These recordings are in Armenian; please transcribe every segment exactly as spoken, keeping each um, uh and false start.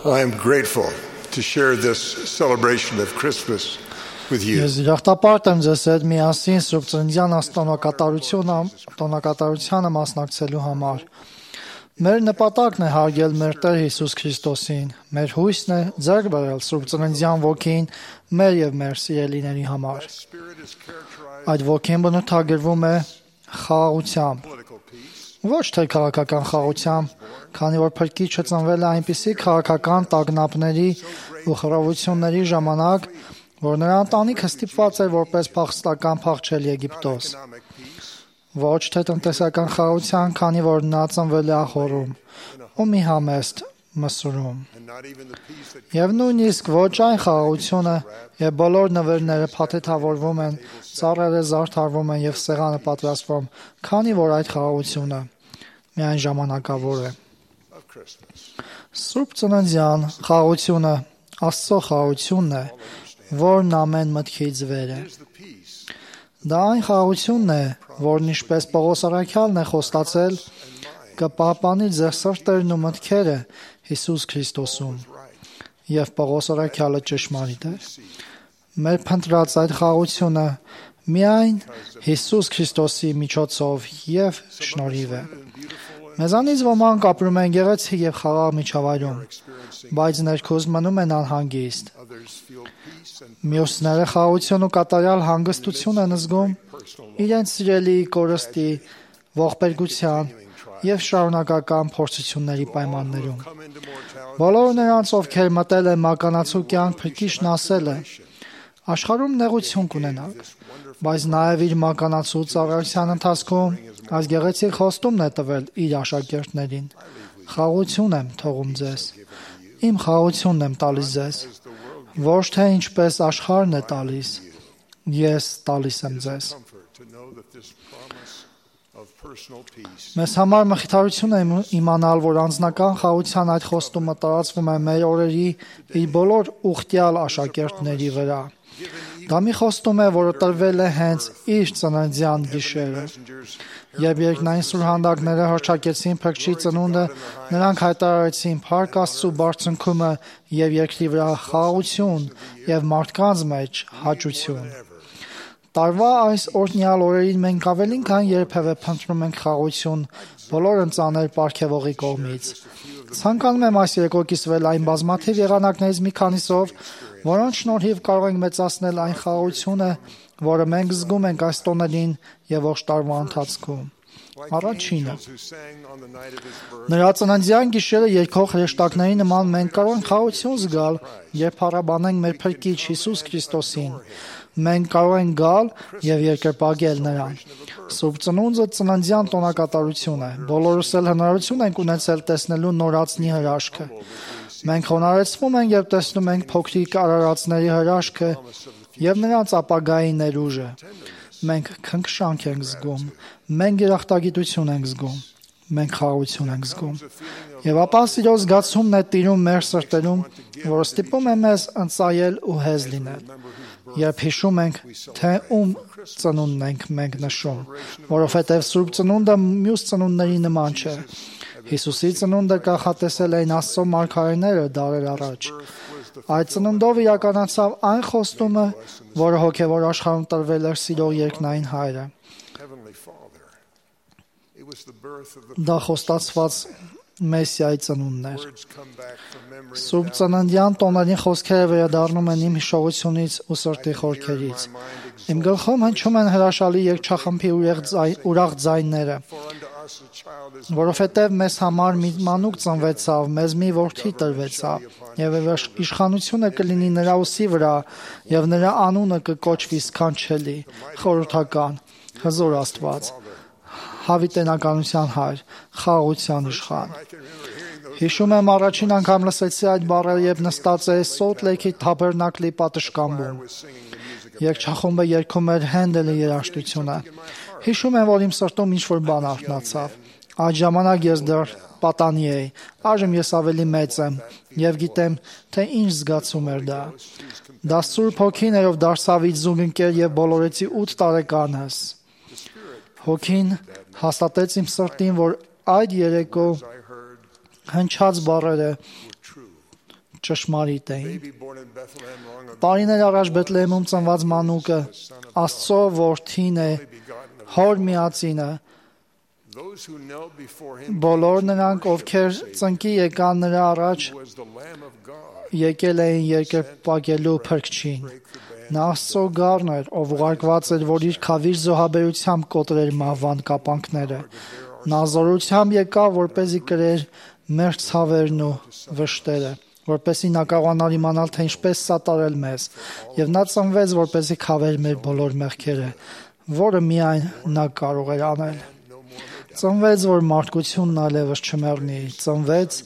I am grateful to share this celebration of Christmas with you. Ես իրախտապարտ եմ ձեզ հետ միասին Սուրբ Ծննդյան տոնակատարությունը տոնակատարությանը մասնակցելու համար։ Մեր նպատակն է հարգել մեր Տեր Հիսուս Քրիստոսին։ Մեր հույսն է ձեռք բերել Սուրբ Ծննդյան ոգին մեր եւ մեր սիրելիների համար։ Այդ ոգին բնութագրվում է խաղաղությամբ։ Ոչ թե քաղաքական խաղաղությամբ, քանի որ Փրկիչը ծնվել է այնպիսի քաղաքական տագնապների ու խռովությունների ժամանակ, որ նրա ընտանիքը ստիպված էր որպես փախստական փախչել Եգիպտոս։ Ոչ թե տնտեսական խաղաղության, քանի որ նա ծնվել է ախորում ու մի համեստ մսուրում։ Եվ նույնիսկ ոչ այն խաղաղությունը, եւ բոլոր նվերները փաթեթավորվում են, ծառերը զարդարվում են եւ սեղանը պատրաստվում, քանի որ այդ խաղաղությունը միայն ժամանակավոր է։ Սուրբ Ծննդյան խաղաղությունը Աստծո խաղաղությունն է, որն ամեն մտքից վեր է։ Դա այն խաղաղությունն է, որն ինչպես Պողոս առաքյալն է խոստացել, կպահպանի ձեր սրտերն ու մտքերը Հիսուս Քրիստոսում։ Եվ Պողոս առաքյալը ճշմարիտ է։ Մեր փնտրած այդ խաղաղությունը միայն Հիսուս Քրիստոսի միջոցով եւ շնորհիվ է։ Մեզանից ոմանք ապրում են գեղեցիկ եւ խաղաղ միջավայրում, բայց ներքուզ մնում են անհանգիստ։ Մյուսները խաղաղություն ու կատարյալ հանգստություն են զգում իրենց սիրելի կորստի, ողբերգության եւ շարունակական փորձությունների պայմաններում։ Բոլոր նրանց, ովքեր մտել են մականացու կյանք, Փրկիչն ասել է. աշխարհում նեղություն կունենաք, բայց նաեւ իր մականացու ծառայության ընթացքում այս գեղեցիկ խոստումն է տվել իր աշակերտներին. խաղաղություն եմ թողում ձեզ, իմ խաղաղությունն եմ տալիս ձեզ, ոչ թե ինչպես աշխարհն է տալիս, ես տալիս եմ ձեզ։ Մեզ համար մխիթարություն է իմանալ, որ անձնական խաղաղության այդ խոստումը տարածվում է մեր օրերի իր բոլոր ուխտյալ աշակերտների վրա։ Դա մի խոստում է, որը տրվել է հենց իր ծննդյան գիշերը։ Երբ երկնային սուրհանդակները հռչակեցին Փրկչի ծնունդը, նրանք հայտարարեցին փառք Աստծու բարձունքումը եւ երկրի վրա խաղաղություն եւ մարդկանց մեջ հաճություն։ Տարվա այս օրհնյալ օրերին մենք ավելին քան երբևէ փնտրում ենք խաղաղություն բոլոր ընծաներ պարգևողի կողմից։ Ցանկանում եմ այս երեկո կիսվել այն բազմաթիվ եղանակներից մի քանիսով, որոնց շնորհիվ կարող ենք մեծացնել այն խաղաղությունը, որը մենք զգում ենք այս տոներին եւ ողջ տարվա ընթացքում։ Առաջինը։ Նրա ծննդյան գիշերը երգող հրեշտակների նման մենք կարող ենք խաղաղություն զգալ, երբ փառաբանենք մեր Փրկիչ Հիսուս Քրիստոսին։ Մենք կարող ենք գալ եւ երկրպագել նրան։ Սուրբ Ծնունդը ծննդյան տոնակատարություն է։ Բոլորս էլ հնարավորություն ենք ունեցել տեսնելու նորածնի հրաշքը։ Մենք խոնարհեցվում ենք եւ տեսնում ենք փոքրիկ արարածների հրաշքը եւ նրանց ապագայի ներուժը։ Մենք քնքշանք ենք զգում, մենք երախտագիտություն ենք զգում, մենք խաղաղություն ենք զգում։ Եվ ապա սիրո զգացումն է տիրում մեր սրտերում, որը ստիպում է մեզ ընծայել ու հեզ լինել։ Երբ հիշում ենք, թե ում ծնունդն ենք մենք նշում, որովհետև Սուրբ Ծնունդը մյուս ծնունդների նման չէ։ Հիսուսի ծնունդը կանխատեսել էին Աստծո մարգարեները դարեր առաջ։ Այդ ծնունդով իրականացավ այն խոստումը, որը հոգևոր աշխարհում տրվել էր սիրող երկնային Հայրը։ Դա խոստացված Մեսիայի ծնունդն էր։ Սուրբ Ծննդյան տոներին խոսքերը վերադառնում են իմ հիշողությունից ու սրտի խորքերից։ Իմ գլխում հնչում են հրաշալի երգչախմբի ուրախ ձայները, որովհետև մեզ համար մի մանուկ ծնվեցավ, մեզ մի որդի տրվեցավ, եւ իշխանությունը կլինի նրա ուսի վրա, եւ նրա անունը կկոչվի սքանչելի, խորհրդական, հզոր Աստված, հավիտենականության Հայր, խաղաղության իշխան։ Հիշում եմ առաջին անգամ լսեցի այդ բառերը, երբ նստած էի Սոլտ Լեյքի թաբերնակլի պատշգամբում։ Երգչախումբը երգում էր Հենդելի երաժշտությունը։ Հիշում եմ, որ իմ սրտում ինչ-որ բան արթնացավ։ Այդ ժամանակ ես դեռ պատանի էի, այժմ ես ավելի մեծ եմ եւ գիտեմ, թե ինչ զգացում էր դա։ Դա Սուրբ Հոգին էր, ով դարձավ իմ զուգընկեր եւ բոլորեցի ութ տարեկանս։ Հոգին հաստատեց իմ սրտին, որ այդ երեկո հնչած բառերը ճշմարիտ էին։ Տարիներ առաջ Բեթլեհեմում ծնված մանուկը Աստծո որդին է, հոր միածինը։ Բոլոր նրանք, ովքեր ծնկի եկան նրա առաջ, եկել էին երկրպագելու Փրկչին։ Նա Աստծո գառն էր, ով ուղարկված էր, որ իր քավիր զոհաբերությամբ կոտրեր մահվան կապանքները։ Նա զորությամբ եկավ, որպեսզի կրեր մեր ցավերն ու վշտերը, որպեսզի նա կարողանար իմանալ, թե ինչպես սատարել մեզ, եւ նա ծնվեց, որպեսզի քավեր մեր բոլոր մեղքերը, որը միայն նա կարող էր անել։ Ծնվեց, որ մարդկությունն այլևս չմեռնի, ծնվեց,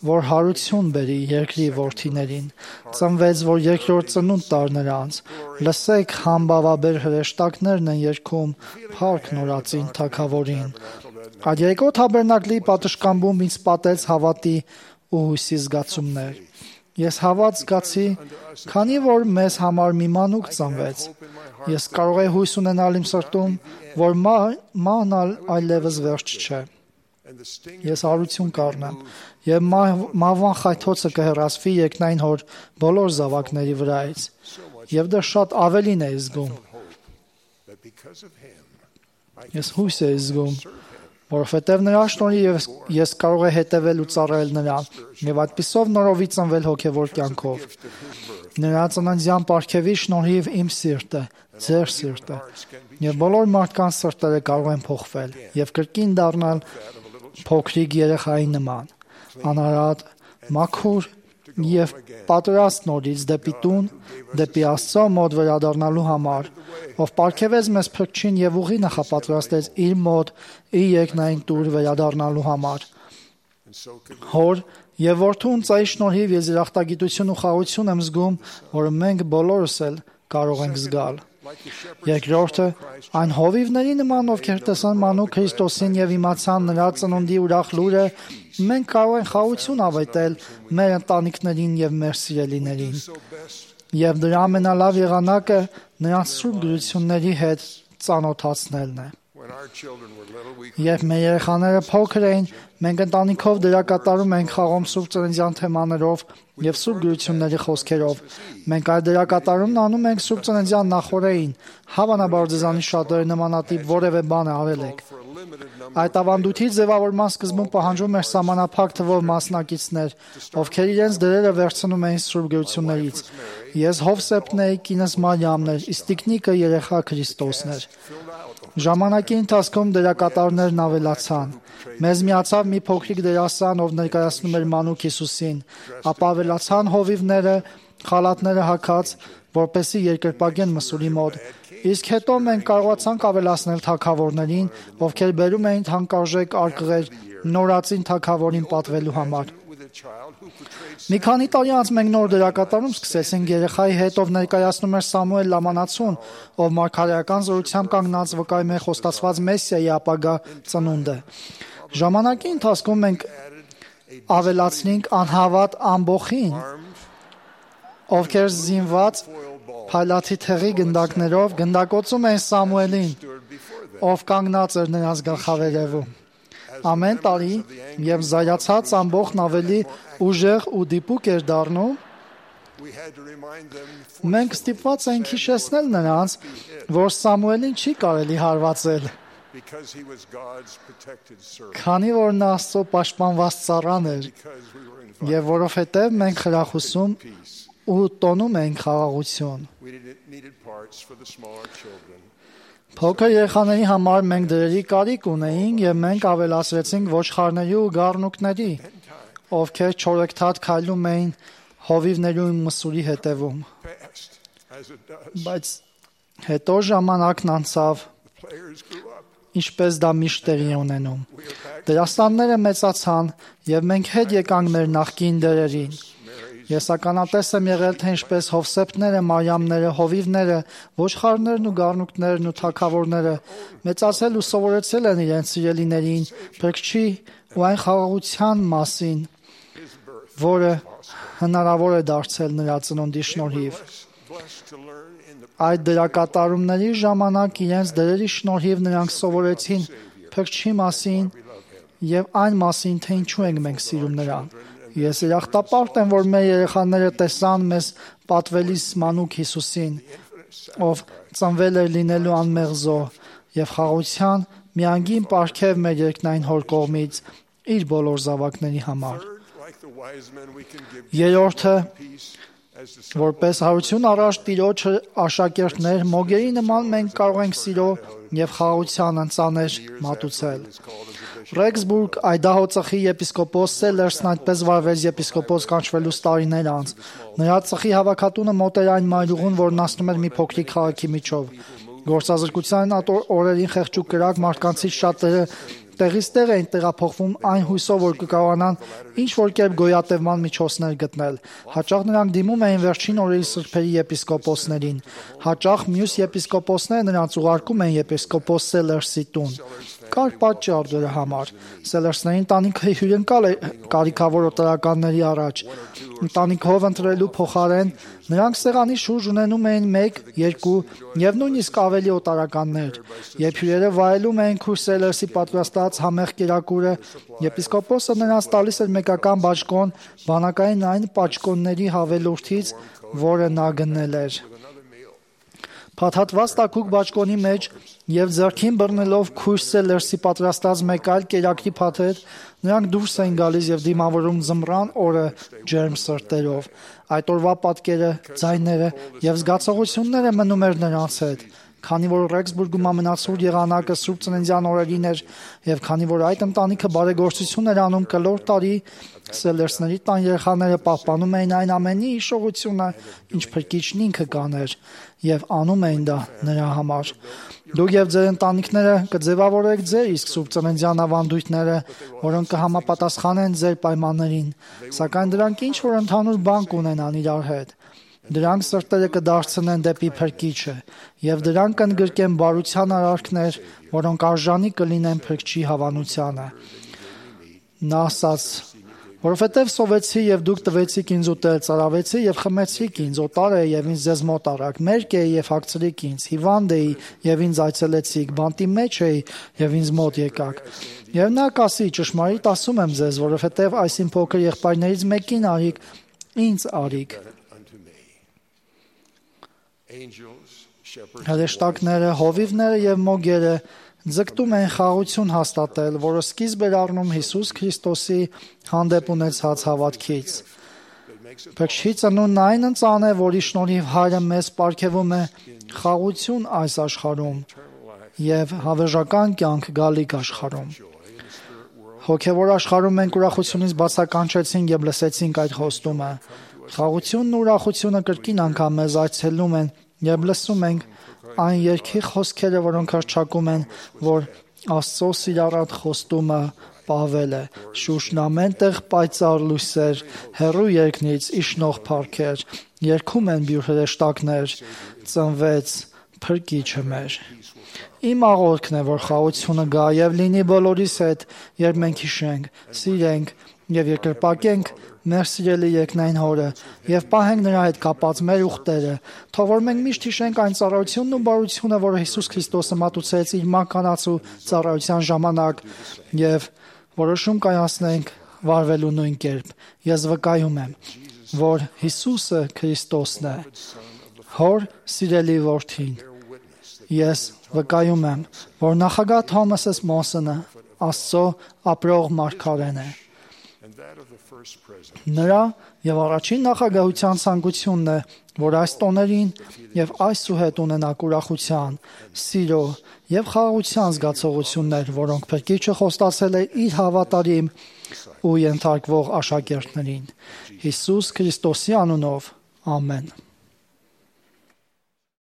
որ հարություն բերի երկրի որդիներին, ծնվեց, որ երկրորդ ծնունդ տար նրանց։ Լսեք, համբավաբեր հրեշտակներն են երգում փառք նորածին թագավորին։ Այդ երկու թաբերնակլի պատշգամբում ինձ պատեց հավատի ու հույսի զգացումներ։ Ես հավատ զգացի, քանի որ մեզ համար մի մանուկ ծնվեց։ Ես կարող եմ հույս ունենալ իմ սրտում, որ մահն այլևս վերջ չէ։ Ես հարություն կառնեմ, եւ մահվան խայթոցը կհեռացվի երկնային հոր բոլոր զավակների վրայից, եւ դա շատ ավելին է զգում։ Ես հույս եմ զգում, որովհետև նրա շնորհիվ ես կարող եմ հետևել ու ծառայել նրան, եւ այդպիսով նորովի ծնվել հոգեվոր կյանքով։ Նրա ծննդյան պարգևի շնորհիվ իմ սիրտը, ձեր սիրտը եւ բոլոր մարդկանց սրտերը կարող են փոխվել եւ կրկին դառնալ փոքրիկ երեխայի նման, անարատ, մաքուր եւ պատրաստ նորից դեպի տուն, դեպի Աստծո մոտ վերադառնալու համար, ով պարգևեց մեզ Փրկչին եւ ուղի նախապատրաստեց իր մոտ իր երկնային տուր վերադառնալու համար։ Հոր եւ որդուն ծայի շնորհիվ ես երախտագիտություն ու խաղաղություն եմ զգում, որը մենք բոլորս էլ կարող ենք զգալ։ Երկրորդը, այն հովիվների նման, ովքեր տեսան մանուկ Քրիստոսին եւ իմացան նրա ծնունդի ուրախ լուրը, մենք կարող ենք խաղաղություն ավետել մեր ընտանիքներին եւ մեր սիրելիներին։ Եվ դրա ամենալավ եղանակը նրանց սուրբ գրությունների հետ ծանոթացնելն է։ Երբ մեր երեխաները փոքր էին, մենք ընտանիքով դերակատարում ենք խաղում սուրբ ծննդյան թեմաներով եւ սուրբ գրությունների խոսքերով։ Մենք այդ դերակատարումն անում ենք սուրբ ծննդյան նախօրեին, հավանաբար ձեզանից շատերը նմանատիպ որևէ բան արել եք։ Այդ ավանդույթի ձևավորման սկզբում պահանջվում էր սահմանափակ թվով մասնակիցներ, ովքեր իրենց դերերը վերցնում էին սուրբ գրություններից։ Ես Հովսեփն էի, կինս Մարիամն էր, իսկ տիկնիկը երեխա Քրիստոսն էր։ Ժամանակի ընթացքում դերակատարներն ավելացան։ Մեզ միացավ մի փոքրիկ դերասան, ով ներկայացնում էր մանուկ Հիսուսին, ապա ավելացան հովիվները, խալաթները հագած, որպեսզի երկրպագեն մսուրի մոտ։ Իսկ հետո մենք կարողացանք ավելացնել թագավորներին, ովքեր բերում էին թանկարժեք արկղեր նորածին թագավորին պատվելու համար։ Մի քանի տարի անց մենք նոր դերակատարում սկսեցինք երեխայի հետ, ով ներկայացնում էր Սամուել Լամանացուն, ով մարգարեական զորությամբ կանգնած վկայում է խոստացված Մեսիայի ապագա ծնունդը։ Ժամանակի ընթացքում մենք ավելացնենք անհավատ ամբոխին, ովքեր զինված փայլատի թեղի գնդակներով գնդակոծում էին Սամուելին, ով կանգնած էր նրանց գլխավերևում։ Ամեն տարի, եւ զայացած ամբողջն ավելի ուժեղ ու դիպուկ էր դառնում, մենք ստիպված ենք հիշեցնել նրանց, որ Սամուելին չի կարելի հարվածել, քանի որ նա Աստծո պաշտպանված ծառան էր, եւ որովհետեւ մենք խրախուսում ու տոնում ենք խաղաղություն։ Փոքր երեխաների համար մենք դրերի կարիք ունեինք եւ մենք ավելացրեցինք ոչխարների ու գառնուկների, ովքեր չորեքթաթ քայլում էին հովիվների ու մսուրի հետևում։ Բայց հետո ժամանակն անցավ, ինչպես դա միշտ տեղի է ունենում։ Դերասանները մեծացան եւ մենք հետ եկանք մեր նախկին դերերին։ Ես ականատես եմ եղել, թե ինչպես Հովսեփները, Մարիամները, հովիվները, ոչխարներն ու գառնուկներն ու թագավորները մեծացել ու սովորեցել են իրենց սիրելիներին Փրկչի ու այն խաղաղության մասին, որը հնարավոր է դարձել նրա ծնունդի շնորհիվ։ Այդ դերակատարումների ժամանակ իրենց դերերի շնորհիվ նրանք սովորեցին Փրկչի մասին եւ այն մասին, թե ինչու ենք մենք սիրում նրան։ Ես երախտապարտ եմ, որ մեր երեխաները տեսան մեզ պատվելիս մանուկ Հիսուսին, ով ծնվել էր լինելու անմեղ զոհ եւ խաղաղության միանգին պարգև մեր երկնային հոր կողմից իր բոլոր զավակների համար։ Երրորդը, որպես հարություն առաջ Տիրոջը աշակերտներ, մոգերի նման մենք կարող ենք սիրո եւ խաղաղության ընծաներ մատուցել։ Ռեքսբուրգ Այդահո ծխի եպիսկոպոս Սելերսն այդպես վարվեց եպիսկոպոս կանչվելուց տարիներ անց։ Նրա ծխի հավաքատունը մոտ էր այն մայրուղուն, որն անցնում էր մի փոքրիկ քաղաքի միջով։ Գործազրկության օրերին խեղճուկ կրակ մարդկանցից շատերը տեղից տեղ էին տեղափոխվում այն հույսով, որ կկարողանան ինչ-որ կերպ գոյատևման միջոցներ գտնել։ Հաճախ նրանք դիմում էին վերջին օրերի սրբերի եպիսկոպոսներին։ Հաճախ մյուս եպիսկոպոսները նրանց ուղարկում էին եպիսկոպոս Սելերսի տուն։ Կար պատճառ դրա համար։ Սելերսների ընտանիքը հյուրընկալ էր կարիքավոր օտարականների առաջ։ Ընտանիքով ընտրելու փոխարեն նրանք սեղանի շուրջ ունենում էին մեկ, երկու եւ նույնիսկ ավելի օտարականներ։ Երբ հյուրերը վայելում էին քույր Սելերսի պատրաստած համեղ կերակուրը, եպիսկոպոսը նրանց տալիս էր մեկական բաճկոն բանակային այն պաճկոնների հավելորդից, որը նա գնել էր։ Փաթաթված տաքուկ բաճկոնի մեջ եւ ձեռքին բռնելով քույր Սելերսի պատրաստած մեկ այլ կերակրի փաթեթ, նրանք դուրս էին գալիս եւ դիմավորում ձմռան օրը ջերմ սրտերով։ Այդ օրվա պատկերը, ձայները եւ զգացողությունները մնում էր նրանց հետ։ Քանի որ Ռեքսբուրգում ամենացուրտ եղանակը Սուրբ Ծննդյան օրերին էր եւ քանի որ այդ ընտանիքը բարեգործություն էր անում կլոր տարի, Սելերսների տան երեխաները պահպանում էին այն ամենի հիշողությունը, ինչ փրկիչն ինքը կաներ, եւ անում էին դա նրա համար։ Դուք եւ ձեր ընտանիքները կձևավորեք ձեր իսկ Սուրբ Ծննդյան ավանդույթները, որոնք կհամապատասխանեն ձեր պայմաններին, սակայն դրանք ինչ որ ընդհանուր բան կունենան իրար հետ։ Դրանք սրտերը կդարձնեն դեպի Փրկիչը, եւ դրանք կընդգրկեն բարության արարքներ, որոնք արժանի կլինեն Փրկչի հավանությանը։ Նա ասաց. «Որովհետև սովեցի եւ դուք տվեցիք ինձ ուտել, ծարավեցի եւ խմեցիք ինձ, օտար էի եւ ինձ ձեզ մոտ առաք, մերկ էի եւ հագցրիք ինձ, հիվանդ էի եւ ինձ այցելեցիք, բանտի մեջ էի եւ ինձ մոտ եկաք»։ Եվ նա կասի. «Ճշմարիտ ասում եմ ձեզ, որովհետև այս իմ փոքր եղբայրներից մեկին արիք, ինձ արիք»։ Հրեշտակները, հովիվները եւ մոգերը ձգտում են խաղաղություն հաստատել, որը սկիզբ էր առնում Հիսուս Քրիստոսի հանդեպ ունեցած հավատքից։ Փրկչի ծնունդն այն ընծան է, որի շնորհիվ Հայրը մեզ պարգևում է խաղաղություն այս աշխարհում եւ հավերժական կյանք գալիք աշխարհում։ Հոգևոր աշխարհում մենք ուրախությունից բացականչեցինք եւ լսեցինք այդ խոստումը։ Խաղաղությունն ու ուրախությունը կրկին անգամ մեզ այցելում են եւ լսում ենք այն երկի խոսքերը, որոնք հռչակում են, որ Աստծո սիրառատ խոստումը Պավել է. «Շուշն ամենտեղ պայծառ լույսեր, հեռու երկնից իշխնող փառքեր, երգում են բյուր հրեշտակներ, ծնվեց Փրկիչը մեր»։ Իմ աղոթքն է, որ խաղաղությունը գա եւ լինի բոլորիս հետ, երբ մենք հիշենք, սիրենք եւ երկրպագենք մեր սիրելի երկնային Հորը եւ պահենք նրա հետ կապած մեր ուխտերը, թող որ մենք միշտ հիշենք այն ծառայությունն ու բարությունը, որը Հիսուս Քրիստոսը մատուցեց իր մականացու ծառայության ժամանակ եւ որոշում կայացնենք վարվելու նույն կերպ։ Ես վկայում եմ, որ Հիսուսը Քրիստոսն է, Հոր սիրելի որդին։ Ես վկայում եմ, որ նախագահ Թոմասս Մոնսոնը Աստծո ապրող մարգարեն է։ Նրա եւ առաջին նախագահության ցանկությունն է, որ այս տոներին եւ այսուհետ ունենաք ուրախության, սիրո եւ խաղաղության զգացողություններ, որոնք Փրկիչը խոստացել է իր հավատարիմ ու ենթարկվող աշակերտներին։ Հիսուս Քրիստոսի անունով, ամեն։